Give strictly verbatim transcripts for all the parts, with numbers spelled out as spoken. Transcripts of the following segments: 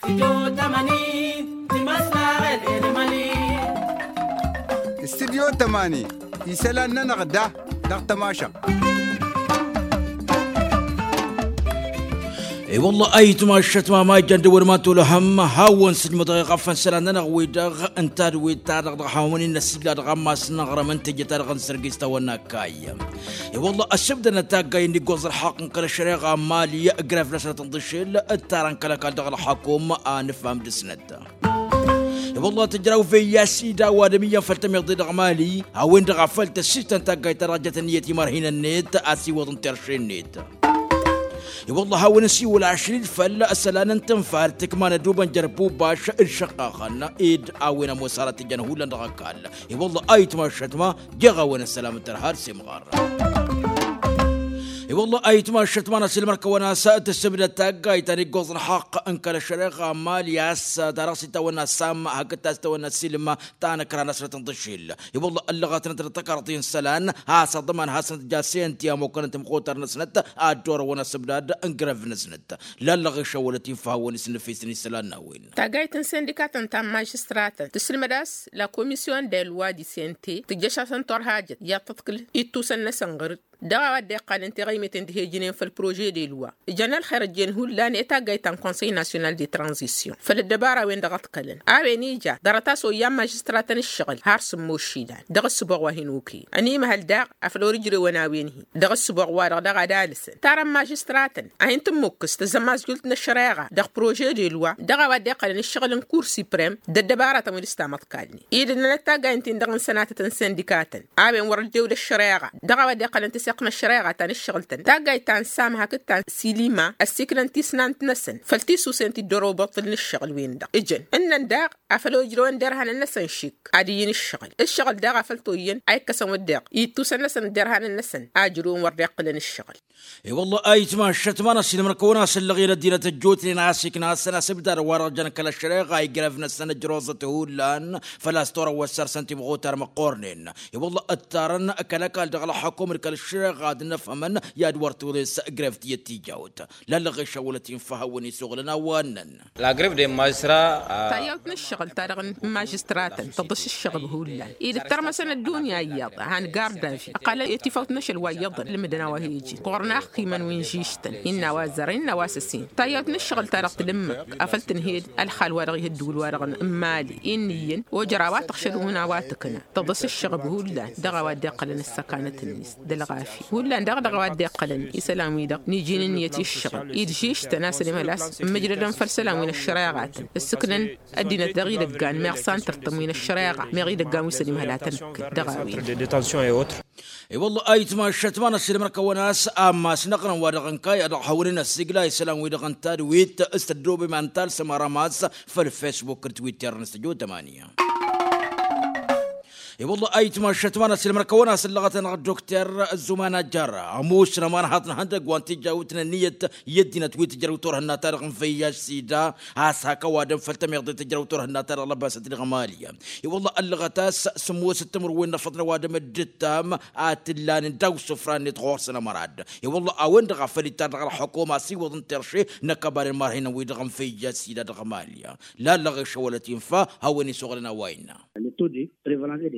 Studyo tămani. Studyo tămani isălan-nănăɣ da dăɣ-tămašăɣt. I-wălla ayǝtma ăššătma ma ijăn d-ewăl ma n-tulăhăm hawăn-sǝjmădăɣ iɣăffăn isălan-nănăɣ wi-dăɣ n-tadwit-ta-dăɣ dăɣ-hawăn-in n-ăssigla dăɣ-ammas n-aɣrăm n-teje-ta-dăɣ n-sărgis tawănna kayy. I-wălla ăssibdănăt taggay n-iggoẓ ălxaqq n-kăl-ăššăreɣa n-mali. Grăf-năsnăt n-ḍǝšel ǝttarăn kăl-ăkall dăɣ-ălxakum a nǝfham dăɣ-snăt. I-wălla tǝjraw veyya sida ăwadǝm iyyăn făll-tămiḍe dăɣ-mali a-wen-dăɣ a făl tăssistăn taggayt-ta-dăɣ ăjjăt ǝnniyăt i-imarhinăn-net a siwǝḍ n-terše-net. I-wălla hawăn-ăsiwǝl ašril făll-isălan n-tǝnfalt tǝkma n-ădubăn jer-bubaš d-išăqqaxăn ed a-wen ămoos arăt ijăn hullan dăɣ-ăkall. I-wălla ayǝtma ăššătma jeɣ a-wen ăssălam d-tărha d-semɣar. I-wălla ayǝtma ăššătma n-asǝlmăr kăwăn-as tǝssǝbdăd taggayt ta n-iggoẓ ălxaqq n-kăl-ăššăreɣa n-mali a-s ta dăɣ-s itawănna sam hakd ta s-tawănna silma ta n-ǝkra-năsnăt n-iḍǝšel. I-wălla ăllăɣătnăt d-tăkarḍi n-isălan has-aḍman hasăn-t ja senti ămookănăn timxutar-năsnăt ad-dd-orăwăn asǝbdad n-grăv-năsnăt. Lallăɣ išăwwălăt-in făw hawăn-isǝnnǝfisăn isălan n-a-wen. Taggayt n-sindikatăn ta n-mažistratăn tǝsǝlmăd a-s la komisyon de loi di sente tǝjjăš-asăn turhajăt i-ad-tǝḍkǝl ittusăn-năsăn ɣǝr-dd dăɣ-a-wa dd-iqqalăn tiɣăymeten d-he-ǝjǝnen făll-prožet de loi. Ǝjăn ălxer ăjjeen hullan i-taggayt ta n-konsăy nasyonal de tranzisyon făll-ăddăbara-wen-dăɣ ǝḍkălăn a-wen ija ḍarăt a-s oyyan mažistratăn ǝššăɣǝl har sǝmmos išidan dăɣ-ǝssǝboɣ wa hin-okăyăn ănimăhăl daɣ afăl wăr-ǝjrewăn a-wen-hi dăɣ-ǝssǝboɣ wa dăɣ-dăɣ ad-alǝsăn tarăn mažistratăn a hin-tǝmmukkǝs tăzzămasjult n-ăššăreɣa dăɣ-prožet de loi dăɣ-a-wa dd-iqqălăn ǝššăɣǝl n-kur siprem d-ăddăbaratăn wi dăɣ-s tamăḍkalnen. Ed ǝnnănăt taggayt-in-dăɣ n-sănatăt n-sindikatăn a-wen wăr-ăddewd ăššăreɣa dăɣ-a-wa dd-iqqălăn tǝseɣt n-ăššăreɣa ta n-ǝššăɣǝl-tăn taggayt ta n-sam hakd ta n-silima ăssiklăn tisnant-năsăn făll-tissusen ti dd-orow băṭṭǝl n-ǝššăɣǝl-wen-dăɣ ǝjăn ǝnnăn daɣ afăl ojrăwăn derhanăn-năsăn šik ad-iyyǝn ǝššăɣǝl ǝššăɣǝl daɣ afăl toyyăn a ikkăsăn wădden ittusăn-năsăn derhanăn-năsăn a ǝjrǝwăn wăr dd-iqqǝlăn ǝššăɣǝl. I-wălla a itmaššăt ma n-ăssiilmăr-kăwăn-asǝllăɣ i-ăddinăt ăjjootnen a ăsiknasăn asǝbdad wa-dăɣ jăn kăl-ăššăreɣa igrăvnăsăn ǝjroẓăt hullan făl-a-s torăwwăt săr-săn timɣutar măqqornen. I-wălla ǝttarăn kăl-ăkall dăɣ-ălxăkum d-kăl-ăššăreɣa ad-nǝfhămăn i-ad-wăr tuḍes grăv tiyyăt tijawt. Lallăɣ išăwwălăt-in făw hawăn-isuɣǝlăn a-wa ǝnnăn. La greve de mažistra. Tayyawt n-ǝššăɣǝl-ta-dăɣ n-mažistratăn tăḍǝs ǝššăɣǝb hullan ed ǝttărmăsăn ăddunya iyyăḍ han gardavi ăqqalăn i-tifawt n-ašăl wa iyyăḍăn ǝlmǝdăn a-wa he-ijin ɣur-naxkimăn wi n-žižtăn innă a-wa zărăn innă a-wa s-ăsin. Tayyawt n-ǝššăɣǝl-ta-dăɣ tǝlǝmmǝk afăl tǝnhed ălxal-wa-dăɣ ih' ădduul-wa-dăɣ n-mali innă iyyăn ojăr a-wa tăɣšăl wi n-a-wa tǝkna tăḍǝs ǝššăɣǝb hullan dăɣ-a-wa dd-iqqălăn ăssăkanăt-net d-ălɣafya hullan daɣ dăɣ-a-wa dd-iqqălăn isălan-wi-dăɣ n-iji n-ǝnniyăt i-ǝššăɣǝl i-dd-žižtăn a-s ănimhăl a-s ǝmmǝjdădăn făll-isălan wi n-ăššăreɣatăn ǝssǝknăn ăddinăt dăɣ-idăggan meɣ santăr-tăn wi n-ăššăreɣa meɣ idăggan wi s-ănimhăl ad-tăn-ǝkkǝn dăɣ-a-wen. I-wălla a itmaššăt ma n-ăssiilmăr-kăwăn a-s ammas n-aɣrǝm wa dăɣ-ǝnkayăɣ dăɣ-hawăn-in ăssiigla isălan-wi-dăɣ n-tadwit s-tăddoobem a n-talsăm arămas făll-fesbuk d-twitter n-s tăjot ămani. I-wălla a itmaššăt ma n-ăssiilmăr-kăwăn a-s ǝllăɣăt-anăɣ dd-okter ăzzuman ajjăr ămoosăn ămanhaḍ n-ihăndăgg wa n-tijawt n-ǝnniyăt i-ăddinăt wi tǝjrăw turhǝnna-ta-dăɣ n-văyyaž sida a-s hak ăwadǝm făll-tămiḍe tǝjrăw turhǝnna-ta-dăɣ lăbasăt dăɣ-mali. I-wălla ăllăɣăt a-s sǝmmosăt timǝrwen n-afăḍăn ăwadǝm dd-ǝttam ad-t-ǝllanen daw-isǝfra-net ɣur-săn ămăra-dd. I-wălla a-wen-dăɣ a făl ittar dăɣ-ălxukum asiwǝḍ n-terše n-ăkăbaren marhinăn-wi-dăɣ n-văyyaž sida dăɣ-mali. Lallăɣ išăwălăt-in fa hawăn-isuɣǝlăn a-wa innă.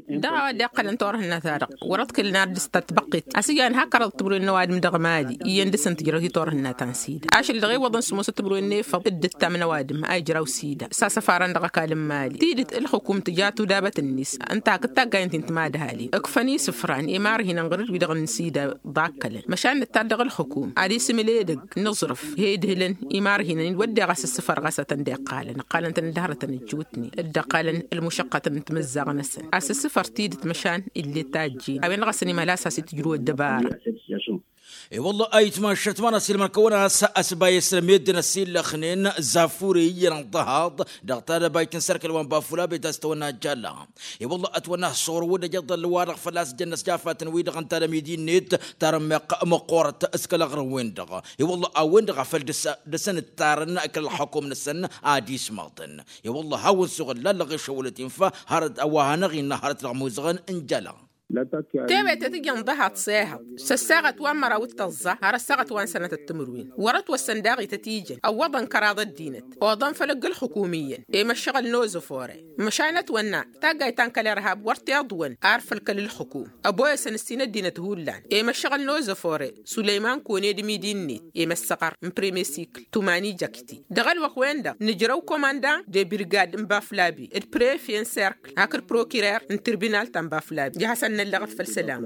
Dăɣ-a-wa dd-iqqălăn turhǝnna-ta-dăɣ wăr-ăḍkǝlăn ar dăɣ-s ta tibăqqet a-s ijan hak ărăḍ timǝrwen n-ăwadǝm dăɣ-mali iyyăn dăɣ-săn tǝjrăw hi-turhǝnna ta n-sida ašăl dăɣ-e iwwăḍăn sǝmmosăt timǝrwen n-efăḍ dd-ǝttam n-ăwadǝm a ijraw sida s-asăfarăn dăɣ-ăkall n-mali tidǝt ǝlxǝkum tǝja tudabăt-net ǝnta hakd taggayăn ti n-timadhalin ǝkfăn isǝfran i-imarhinăn ɣur-dd wi-dăɣ n-sida. Ḍakkălăn măšan nǝttar dăɣ-ǝlxǝkum ad-isǝmǝl edăgg n-aẓrǝf he-idhǝlăn imarhinăn-in wădden ɣas ǝssǝfăr ɣas a tăn-dd-iqqalăn ǝqqalăn-tăn dd-hărătăn ǝjjootnen dd-ăqqalăn ălmušăqqătăn n-timǝzzaɣ-năsăn a-s ǝssǝfăr tidǝt măšan ill'-e tajjin a-wen-dăɣ a-s ănimhăl a-s has-itǝjrǝw ăddăbara. I-wălla a itmaššăt ma n-ăssiilmăr-kăwăn a-s ăsbayăs n-ămedden ăsillăxnen zafure iyyăn ănḍăhaḍ dăɣ-tadăbayt n-sărkăl wa n-bafula bet a-s tăwănna jalla. I-wălla ătwănna ăṣṣuɣrǝw d-ejăḍăl wa-dăɣ făl-a-s jăn-năsjafatăn-wi-dăɣ ǝnta d-amidi-net tarămmeɣ măqqoorăt s-kăl-aɣrǝm-wen-dăɣ. I-wălla a-wen-dăɣ a făl dăr-săn ǝttarăn kăl-ălxukum-năsăn ad-ismaḍăn. I-wălla hawăn-suɣǝl lallăɣ išăwwălăt-in fa hărăt a-wa hanăɣ-innă hărăt dăɣ-imuzăɣăn n-jala. Tewătet ijăn ḍahaḍ s-ehăḍ s-ăssaɣăt wa n-măraw d-tăẓẓa har ăssaɣăt wa n-sănătăt timǝrwen. Wăr-ătwăssăn daɣ ităt ijăn ăwwăḍăn kăraḍ ăddinăt oḍăn făll-ǝgg ǝlxǝkumǝyyăn i-măššăɣǝl n-ozăfore. Măšan ătwănna taggayt ta n-kăl-irhab wăr t-iḍwăn ar făll-kăl-ǝlxǝkum ăboyăsăn ǝssin ăddinăt hullan i-măššăɣǝl n-ozăfore. Sulăyman kone d-midi-net i-măssăɣăr n-premye sikl tumani jăkti. Dăɣ-ălwăqq-wen-dăɣ nǝjrăw komandan de birgad n-baflabi d-prefe n-serkl hakd prokirer n-tirbinal ta n-baflabi i-ad-hasăn-năllăɣăt făll-sălam.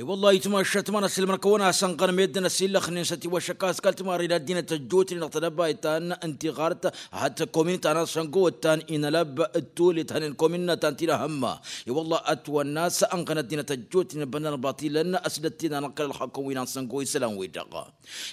I-wălla-hi tmašat ma n-asǝlmăr-kăwăn-asăn ɣărmed n-asǝllăxnen s-ătiwăššăk a-s kăl-timarre d-ăddinăt ăjjootnen dăɣ-tedăbayt ta n-tiɣart hat-komin ta n-asăngo ăttan inălăb d-tulet hănen komin ta n-tinăhămma. I-wălla ătwănna a-s ănɣăn ăddinăt ăjjootnen bănnan batilăn ăsdăt-in-anăɣ kăl-ălxăkăm wi n-asăngo isălan-wi-dăɣ.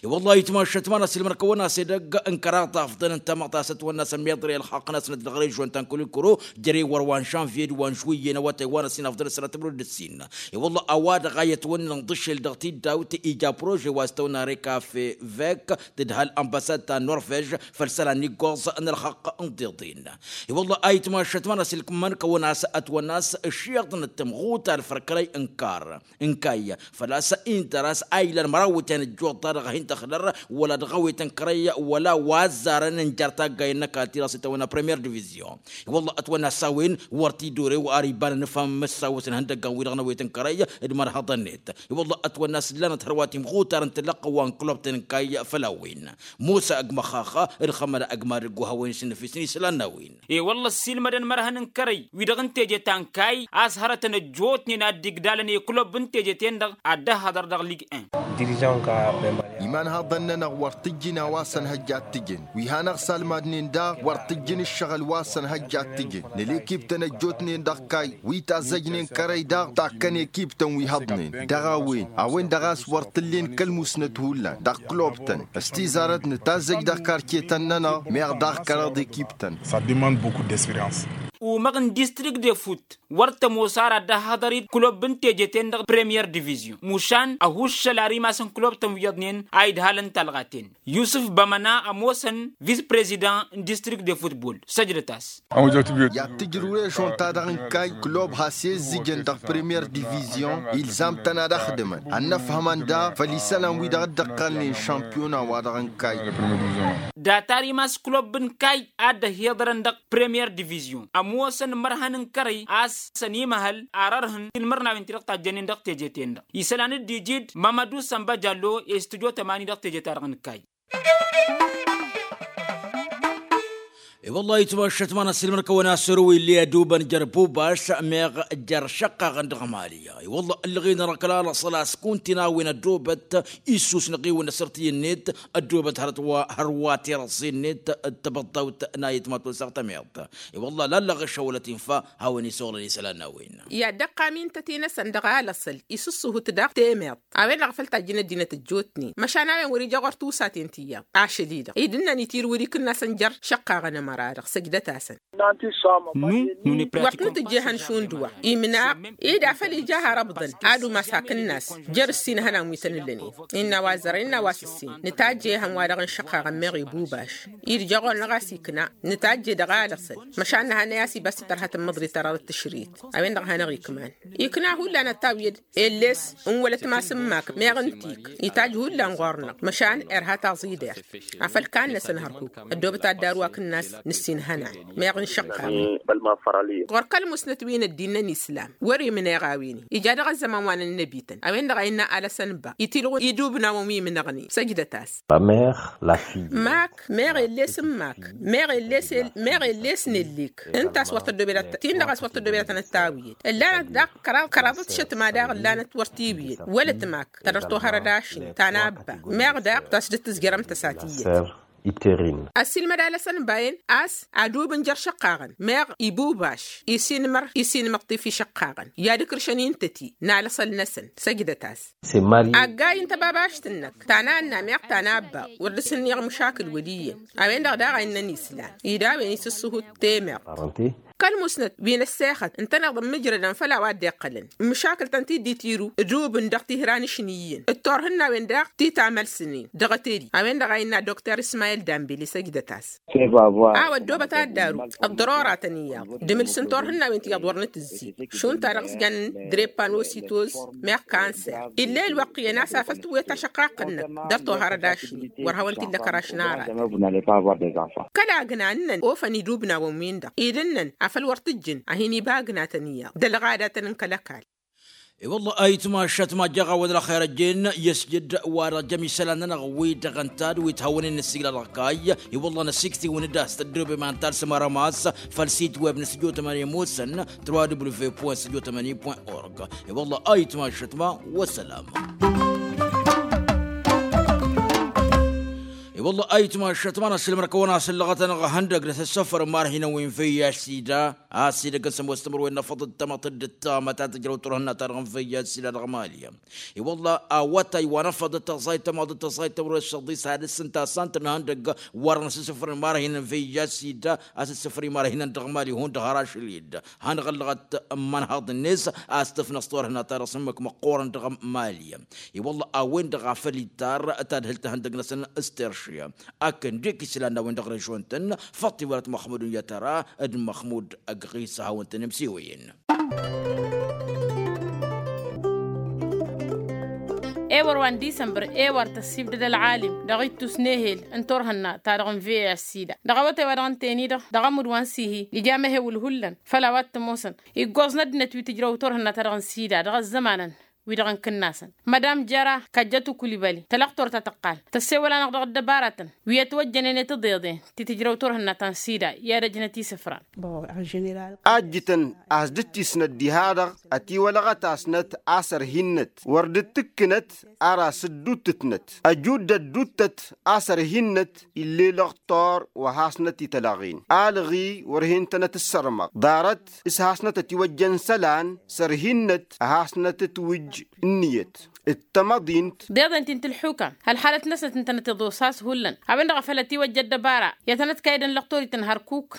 I-wălla-hi tmašat ma n-asǝlmăr-kăwăn-as edăgg n-kăraḍ afḍăn n-tamăḍt a-s ătwănna a-s ămmiḍrăy ălxaqq-năsnăt dăɣ-režyon ta n-kăl-ǝlkǝro jere wăr wa n-žănvye d-wa n-žwǝyye n-awătay wa n-ăssin afḍăn ăssinăt mărăd d-ǝssin. I-wălla a-wa-dăɣ a i-ătwănnăn ḍǝššel dăɣ-tiddawt ija prože wa s-tăwna rekafe vek tǝdhal ănbăsad ta n-norvež făll-isălan iggoẓ n-ălxaqq n-tiḍen. I-wălla a itmašat ma n-asǝlmăr-kăwăn a-s ătwănna a-s ǝššiḍnăt tămɣuta ălfărkălăy n-kar n-kayy făl-a-s intăr a-s a ilăn măraw ǝtyan ăjjuḍ-ta-dăɣ hin-tăxdăr wăla dăɣ-awet n-kărăy wăla wa ăzzarăn n-jer-taggayăn n-ăkall-ti-dăɣ s-itawănna premier divizyon. I-wălla ătwănna a-s a-wen wăr t-id-ore wa ar ibanăn f-amǝssawăs n-ihăndăggan-wi-dăɣ n-awet n-kărăy d-imărhăḍăn-net. I-wălla ătwănna a-s ǝllanăt hărwa timɣutar n-tǝllăqqăn wa n-klubtăn n-kayy făll-a-wen. Musa ăgg măxxaxa d-xămăla ăgg madǝggu a-wen s-nǝfisăn isălan n-a-wen. E-wălla ăssiilmădăn imărhăn n-kărăy wi-dăɣ n-teje ta n-kayy a-s hărătăn ăjjootnen ad-dd-igdalăn i-klub n-teje-ten-dăɣ ad-dd-ăhhăḍăr dăɣ-lig-en. Imanhăḍăn-nănăɣ wăr t-ǝjjǝn a-wa s-ănhăjja ad-t-ǝjǝn wi hanăɣ-salmadnen daɣ wăr t-ǝjjǝn ǝššăɣǝl wa s-ănhăjja ad-t-ǝjǝn năla ekiptăn ăjjootnen dăɣ-kayy wi tazzăjnen kărăy daɣ takkăn ekiptăn wi hăḍnen dăɣ-a-wen a-wen-dăɣ a-s wăr t-ǝllen kăl-musnăt hullan dăɣ-klobtăn s-tizarăt nǝtazzăj dăɣ-karcetăn-nănăɣ meɣ daɣ kăraḍ ekiptăn. Umăɣ n-distrikt de fut wăr tămoos ara ad-dd-ăhhăḍăr-dd klub n-teje-ten-dăɣ premier divizyon mušan ăhuššăl ar imas n-klubtăn wi iyyăḍnen a idhalăn talɣa-ten. Yusǝf bămăna ămoosăn vis-prezidant n-distrikt de futbol săjdăt-as. I-ad-tǝjrǝw režon-ta-dăɣ n-kayy klub has-izzǝjăn dăɣ-premier divizyon ilzam-tăn ad-ăxdǝmăn ad-nǝfhămăn daɣ făll-isălan-wi-dăɣ dd-ǝqqălnen šampiyona-wa-dăɣ n-kayy. Data ar imas klub n-kayy ad-dd-ăhiḍărăn dăɣ-premier divizyon ămoosăn imărhăn n-kărăy a-s ănimăhăl ar ărhǝn tilmărnawen ti-dăɣ tajjănen dăɣ-teje-ten-dăɣ isălan dd-iji-dd mamădu sănba jallo i-studyo tămani dăɣ-teje-ta-dăɣ n-kayy. I-wăllah itmăššăt ma n-asǝlmăr-kăwăn-asăru illi ădubăn jer-bubaš meɣ jer-išăqqaɣăn dăɣ-mali. I-wăllah ǝllăɣen răkăla lăṣăl a-s kuntin a-wen ădubăt issusnăɣ-iwăn asărtǝy-net ădubăt hărăt wa hărwa tirăẓẓi-net d-tibăḍḍawt n-ayǝtmat wăl-săɣ tămiḍt. I-wăllah lallăɣ ăššăwălăt infa hawăn-isoɣlăn isălan n-a-wen. I-ad-dd-ăqqam intăt-i-năsăn dăɣ-alăṣăl isǝssǝhut daɣ temeḍt a-wen-dăɣ a făl tajjǝn ăddinăt ăjjootnen măšan a-wen wăr-ija ɣur-tusaten ti iyyăḍ ašăl-i-dăɣ i-dd-ǝnnan itirwǝd ikǝnnasăn jer-išăqqaɣăn ămăra-dăɣ săjdăt-asăn. Wăr t-nǝtǝjjehăn šund wa imnaɣ ed a făl ija har ăbḍăn ad-umas hakǝnnas jer-ǝssin ihănan wi tăn-ǝllănen. Innă a-wa zărăn innă a-wa s-ǝssin nǝtajjehăn-wa-dăɣ n-išăqqaɣăn meɣ ibubaš. Idja ɣur-năɣ a-s ikna nǝtajje dăɣ-alăṣăl măšan nǝhannăy a-s ibas titărha tǝmmăḍrit ta dăɣ-tǝšrit. A-wen-dăɣ a hanăɣ-ikman ikna hullan ătawǝyăd. Elles n-wălătmas n-mak meɣ n-tik itajj hullan ɣur-năɣ măšan irha taẓidert. Afăl kannăsăn hărhuk ăddoobăt ad-daru akǝnnas nǝssin hănan meɣ n-išăqqaɣăn. Ɣur-kăl-musnăt wi n-ăddin n-islam wăr imneɣ a-wen-i ija dăɣ-ăzzăman wa n-ănnăbităn a-wen-dăɣ a innă alăsăn ba itilɣun idubnawăn wi imnăɣnen săjdăt-as. Mak meɣ elles n-mak meɣ elles meɣ elles n-ellik ǝnta a-s wăr tăddobedatăn ǝnta a-s wăr tăddobedatăn ăttawǝyăd ǝllanăt daɣ kăraḍ kăraḍăt šătma daɣ ǝllanăt wăr t-iwǝyăd wălăt mak tădăr tohărăd ašin ta n-abba meɣ daɣ tasdăt tǝzjărăm tăsat iyyăt. Ăssiilmăd alăsăn bayen a-s adubǝn jer-išăqqaɣăn meɣ ibubaš isinmăr isinmăḍt i-fi išăqqaɣăn i-ad-ǝkrǝšăn intăti n-alăṣăl-năsăn săjdăt-as. Aggay n-tăbabašt-năk ta n-anna meɣ ta n-abba wăr dăr-s ǝnniɣ măšakǝl wăl' iyyăn. A-wen-dăɣ daɣ a innăn islan ida a-wen isǝssǝhut temeḍt. Kăl-musnăt wi n-ăssexăt ǝntăneḍ n-imǝjrădăn făll-a-wa dd-iqqălăn, măšakǝl-tăn ti dd-itiru ǝdub-n dăɣ-tihra n-ašni iyyăn d-turhǝnna-wen daɣ ti tamălsǝnin dăɣ-teri a-wen-dăɣ a innă dokter ismayil dambili săjdăt-as. A-wa ăddoobăt ad-daru ăḍḍărora-tăn iyyăḍ d-imǝls n-turhǝnna-wen ti iyyăḍ wăr nǝtǝzzig šund-ta-dăɣ s-jannen drepanositos meɣ kanser. Ill'-e ălwăqq iyyăn a-s afăl tǝwwet ašăqqaq-năk dăr-tohărăd ašni wăr hawăn-t-illa kăraš n-arat. Kăla agna ǝnnăn ofăn idubnawăn-win-dăɣ idǝnnăn afăl wăr t-ǝjjǝn a hin-iba agnatăn iyyăḍ d-ălɣadatăn n-kăl-ăkall. I-wălla a itmašat ma ăjjeɣ-awăn ălxer ăjjeen i-ăsjăd wa-dăɣ jăm isălan-nănăɣ wi-dăɣ ǝnta d-wi t-hawăn-in n-ăssiilăɣ kayy. I-wălla năsiktǝwăn-dd a-s tăddoobem ad-talsăm arămas făll-sit web n-săjo tămani musăn trois w point săjo tămani point org. I-wălla a itmašat ma wăssălam. I-wălla a itmašat ma n-asǝlmăr-kăwăn asǝllăɣăt-anăɣ ihăndăg dăɣ-s ăssăfăr n-imarhinăn wi n-vih sida a-s idăgg n-sămoos timǝrwen n-afăḍ d-tamăḍt d-ǝttamăt a tǝjrăw turhǝnna-ta-dăɣ n-văyya s-ila dăɣ-mali. I-wălla awătay wa n-afăḍ d-tăẓayt tamăḍt d-tăẓayt timǝrwen s-săḍis hadǝs ǝnta a s-ăntănhăn dăgg wăr năsǝssǝfrăn imarhinăn văyya s-ida a-s ǝssǝfrăn imarhinăn dăɣ-mali hundăɣ har ašăl-i-dd. Hanăɣ-ăllăɣăt n-imănhăḍ-net a-s tǝfnăs turhǝnna-ta-dăɣ s-ǝmmǝk măqqoorăn dăɣ-mali. I-wălla a-wen-dăɣ a făl ittar tadhǝlt ihăndăg-năsăn s-terše. Akǝn dik islan n-a-wen-dăɣ režon-tăn făṭṭ iwălăt măxmud n-yatăra d-măxmud ăgg ɣisa hawăn-tăn-imsiwăyăn. Ewăr wa n-disămbăr ewăr tăssibdăd ălɣalim dăɣ-ittus n-ehel n-turhǝnna-ta-dăɣ n-vih sida dăɣ-awătay wa dăɣ-ǝnta-en-i-dăɣ dăɣ-ămudd wa n-sihi ija amehewǝl hullan făll-a-wa t-ămoosăn iggoẓ n-ăddinăt wi tǝjrăw turhǝnna-ta-dăɣ n-sida dăɣ-ăzzămanăn wi-dăɣ n-kǝnnasăn. Mădam jăra kăjjăt ukulibăli tălăɣtor ta tăqqal tăssewăl-anăɣ dăɣ-ăddăbaratăn wi ătwăjjănen i-tiḍeḍen ti tǝjrăw turhǝnna ta n-sida i-ad-ăjnăt isǝfran. Ajjǝtăn a-s dd-tisnăt diha-dăɣ ătiwălăɣăt-asnăt a-s ărhinnăt wăr dd-tǝkkǝnăt ar asǝddutǝtnăt ăjudd ădduttăt a-s ărhinnăt ill'-e lăɣtor wa hasnăt itălăɣen alɣi wăr hin-tănăt ǝssărmăɣ ḍarăt s-hasnăt ătiwăjjăn isălan s-ărhinnăt a hasnăt ǝtwǝjj ǝnniyăt d-tamăḍint. Deḍen ti n-tǝlḥukam ălxalăt-năsnăt ǝntănăt iḍos a-s hullan a-wen-dăɣ a făl ătiwăjja ăddăbara i-ad-tănăt-kaydăn lăɣtorităn hărkuk.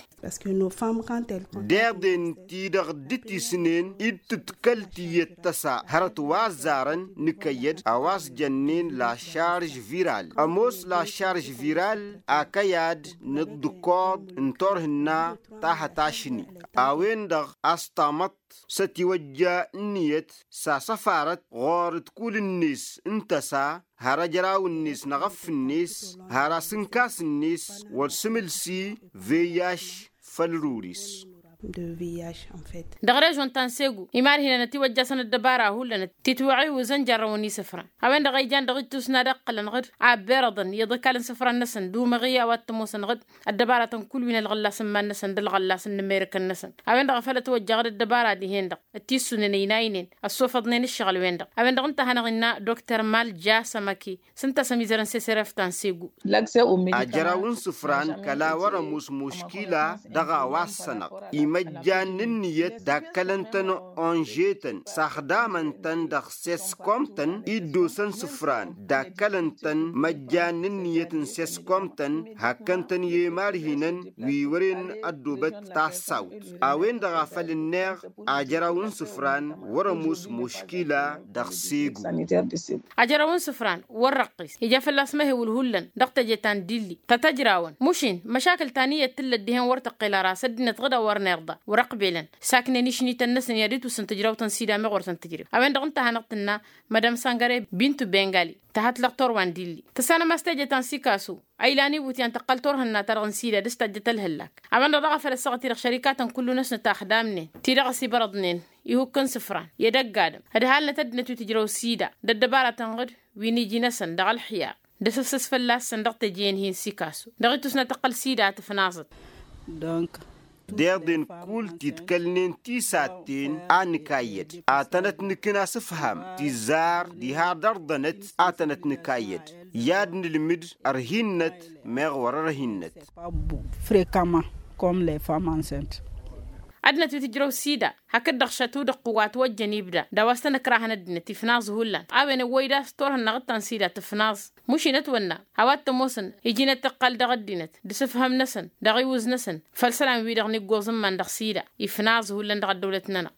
Deḍen-ti-dăɣ dd-tisnen dd-tǝdkăl tiyyăt tăsa hărăt wa ăzzarăn nǝkăyyăd a-wa s-jănnen la šarž viral ămoos la šarž viral akăyad n-ǝḍḍǝkoḍ n-turhǝnna ta hătašni a-wen-dăɣ a-s tamăḍt s-ătiwăjja ǝnniyăt s-asăfarăt ɣur-dd kull-net n-tăsa har ăjraw-net n-aɣăff-net har asǝnkas-net wăr s-imǝlsi veyyaš făll-ruris. Dăɣ-režon ta n-segu imarhinăn ătiwăjjasăn ăddăbara hullan titwăɣiwǝzăn jarrăwăn isǝfran a-wen-dăɣ a ijan dăɣ-ittus n-ad-ǝqqǝlăn ɣǝd abberăḍăn i-iḍǝkal n-isǝfran-năsăn d-umăɣi a-wa t-ămoosăn ɣǝd ăddăbaratăn kull wi n-ălɣăllas n-iman-năsăn d-ălɣăllas n-immerǝkăn-năsăn. A-wen-dăɣ a făl ătwăjja ɣǝd ăddăbara dihen-dăɣ ăttissunen ăynaynen ăssofăḍnen ǝššăɣǝl-wen-dăɣ a-wen-dăɣ ǝnta a hanăɣ-innă dokter malja sămăki s-ǝnta a-s ămizărăn s-esăref ta n-segu. Ajăraw n-isǝfran kăla wăr-ămoos muškila dăɣ-a-wa ăssănăɣ imăjjan n-ǝnniyăt dakkălăn-tăn onžetăn s-axdamăn-tăn dăɣ-seskom-tăn iddosăn isǝfran dakkălăn-tăn măjjan n-ǝnniyăt n-seskom-tăn hakkăn-tăn i-imarhinăn wi wăren ăddoobăt tassawt. A-wen-dăɣ a făl ǝnneɣ ajăraw n-isǝfran wăr-ămoos muškila dăɣ-segu. Ajăraw n-isǝfran wăr-răqqis ija fălla-s măhewǝl hullan dăɣ-teje ta n-dilli ta tăjrawăn mušin măšakǝl ta n-iyyăt tǝllăt dihen wăr tăqqel ara s-ăddinăt ɣǝd a wăr n-irḍa wăr-ăqbelăn saknen išnităn-năsăn i-ad-itwǝsǝn tǝjrawt n-sida meɣ wăr tăn-tǝjrew. A-wen-dăɣ ǝnta a hanăɣ-tǝnna madam sangare bintu bengali tăhat lăɣtor wa n-dilli tăssanăm a-s teje ta n-sikasu a ilan ibut i-an tăqqăl turhǝnna-ta-dăɣ n-sida dăr-s tajjăt ălhǝllak. A-wen-dăɣ daɣ a făl ăssaɣăt-i-dăɣ šărikatăn kullu-năsnăt a ăxdamnen ti-dăɣ ăsibărăḍnen ihukk n-isǝfran i-ad-ăgg-adǝm ădhalnăt ăddinăt wi tǝjrăw sida d-ăddăbaratăn ɣǝd wi n-iji-năsăn dăɣ-ălxiyar d-asǝfsǝs fălla-săn dăɣ-teje-en hi-n-sikasu dăɣ-itwǝsnăt tăqqăl sida a tǝfnaẓăt. Deḍen kull titkălnen tisatten a nǝkayyăd ad-tănăt-nǝkǝn asǝfham tizzar diha dăr-ḍănăt ad-tănăt-nǝkayyăd i-ad-nǝlmǝd ărhinnăt meɣ wăr-ărhinnăt. Frekama kom le fam ansent. Ăddinăt wi tǝjrăw sida hakd-dăɣ šătu dăɣ-tǝwwat wa ăjjăn ibda d-a-wa s-tăn-ǝkrahăn ăddinăt ifnaẓ hullan. A-wen ăwwăy d-a-s turhǝnnaɣ d-tansida tǝfnaẓ. Mušinăt wănna a-wa t-ămoosăn iji n-ad-tǝqqal dăɣ-ăddinăt d-asǝfhăm-năsăn dăɣ-iwǝz-năsăn făll-isălan-wi-dăɣ n-iggoẓ n-iman dăɣ-sida ifnaẓ hullan dăɣ-ăddăwlăt-nănăɣ.